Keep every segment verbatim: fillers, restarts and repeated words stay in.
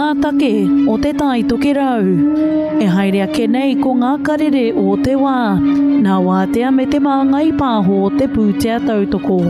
ngā take o Te Tai Tokerau. E haere ake nei ko ngā karere o te wā, nā Wātea me Te Māngai Pāho te pūtea tautoko.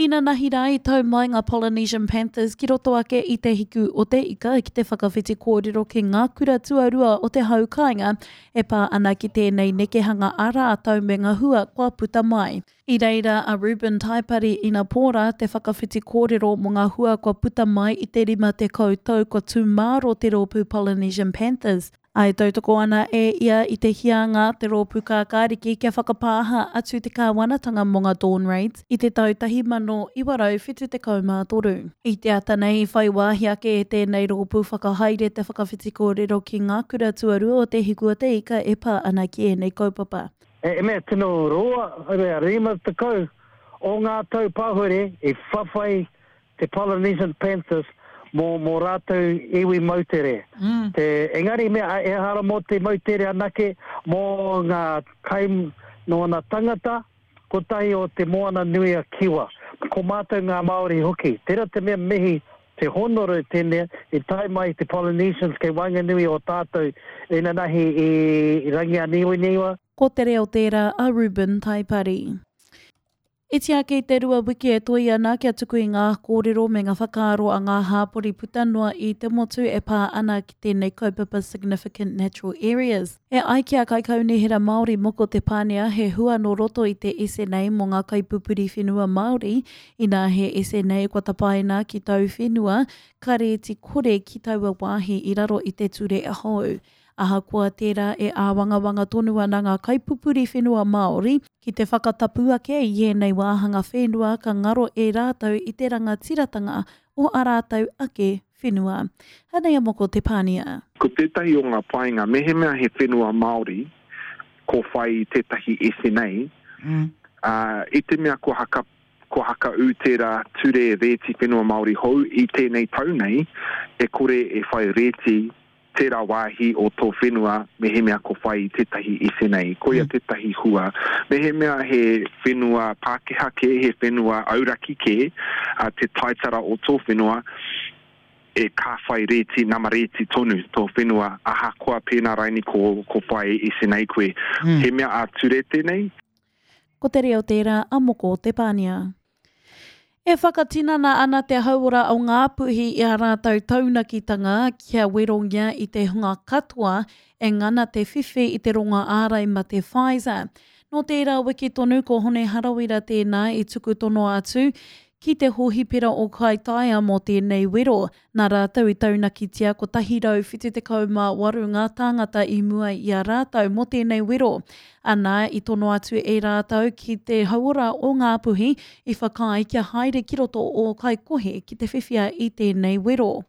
Inanahi rā i tau mai ngā Polynesian Panthers ki roto ake i Te Hiku o te Ika ki te whakawhiti kōrero ki ngā kura tuarua o te hau kāinga e pā ana ki tēnei nekehanga a rātou me ngā hua kua puta mai. I reira a Reuben Taipari inapō rā te whakawhiti kōrero mō ngā hua kua puta mai i te rima tekau tau kua tūmāro te rōpū Polynesian Panthers. Ā, e tautoko ana e ia i te hianga te rōpū kākāriki kia whakapāha atu te kāwanatanga mō ngā Dawn Raids i te tau tahi mano iwa rau whitu tekau mā toru. I te ata nei i whai wāhi ake e tēnei rōpū whakahaere te whakawhiti kōrero ki ngā kura tuarua o Te Hiku o te Ika e pā ana ki ēnei kaupapa. E mea tino roa, e mea rima tekau o ngā tau pahure i whawhai te Polynesian Panthers mō, mō rātou iwi moutere. Mm. Te, engari mea, ehara mō te moutere anake, mō ngā kai nōna tangata, kotahi o te Moana Nui a Kiwa. Ko mātou ngā Māori hoki. Tērā te mea mihi te honore tēnei i tae mai te Polynesians kei waenganui o tātou inanahi i Rangianiwaniwa. Ko te reo tērā a Reuben Taipari. Iti ake i te rua wiki e toi ana kia tuku i ngā kōrero me ngā whakaaro a ngā hāpori puta noa i te motu e pā ana ki tēnei kaupapa Significant Natural Areas. E ai ki a Kaikaunihera Māori Moko Te Pānea he hua nō roto i te S N A mō ngā kaipupuri whenua Māori, inā he S N A kua tapaina ki tau whenua, ka rēti kore ki taua wāhi i raro i te ture hou. Ahakoa tērā e āwangawanga tonu ana ngā kaipupuri whenua Māori, ki te whakatapu ake i ēnei wāhanga whenua ka ngaro e rātou i te rangatiratanga o a rātou ake whenua. Hanei a Moko Te Pānia. Ko tētahi o ngā painga, mehemea he whenua Māori, ko whai tētahi S N A, Mm. uh, i te mea ko haka, ko hakaū tērā ture rēti whenua Māori hou i tēnei tau nei, e kore e whai rēti tērā wāhi o tō whenua mehemea ko whai tētahi S N A. Koia Mm. tētahi hua. Mehemea he whenua Pākehā kē, he whenua auraki kē, a, te taitara o tō whenua, e ka whai rēti, nama rēti tonu tō whenua, ahakoa pēnā raini ko, ko whai S N A koe. Mm. He mea ā-ture tēnei? Ko te reo tērā a Moko Te Pānia. E whakatinana ana te hauora o Ngāpuhi i a rātou taunakitanga kia werongia i te hunga katoa e ngana te whiwhi i te rongo ārai mate Pfizer. Nō tērā wiki tonu ko Hone Harawira tēnā i tuku tono atu ki te hohipera o Kaitaia mō tēnei wero. Nā rātou i taunakitia kotahi rau whitu tekau mā waru ngā tāngata i mua i a rātou mō tēnei wero. Ana i tono atu e rātou ki te hauora o Ngāpuhi i whakaae kia haere ki roto o Kaikohe ki te whiwhia i tēnei wero.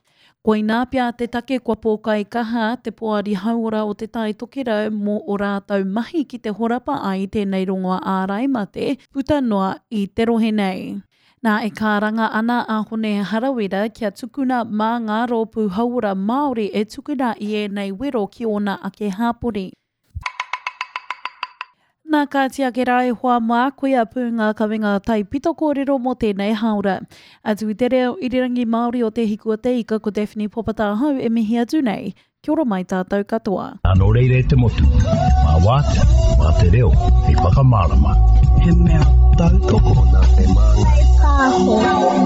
Koinā pea te take kua pōkai kaha te poari hauora o Te Tai Tokerau mō o rātou mahi ki te horapa ai tēnei rongoa ārai mate puta noa i te rohe nei. Nā e kāranga ana a Hone Harawira kia tukuna mā ngā rōpū hauora Māori e tukuna i ēnei wero ki ōna ake hāpori. Nā kāti ake rā e hoa mā, koia pū ngā kawenga taipito kōrero mō tēnei hāora. Atu i te reo irirangi Māori o Te Hiku o Te Ika ko Daphne Popatahau e mihi atu nei. Kia ora mai tātou katoa. Nō reira e te motu, mā wātea, mā te reo, hei whakamārama. He mea tautoko nā te māngai. Pāho.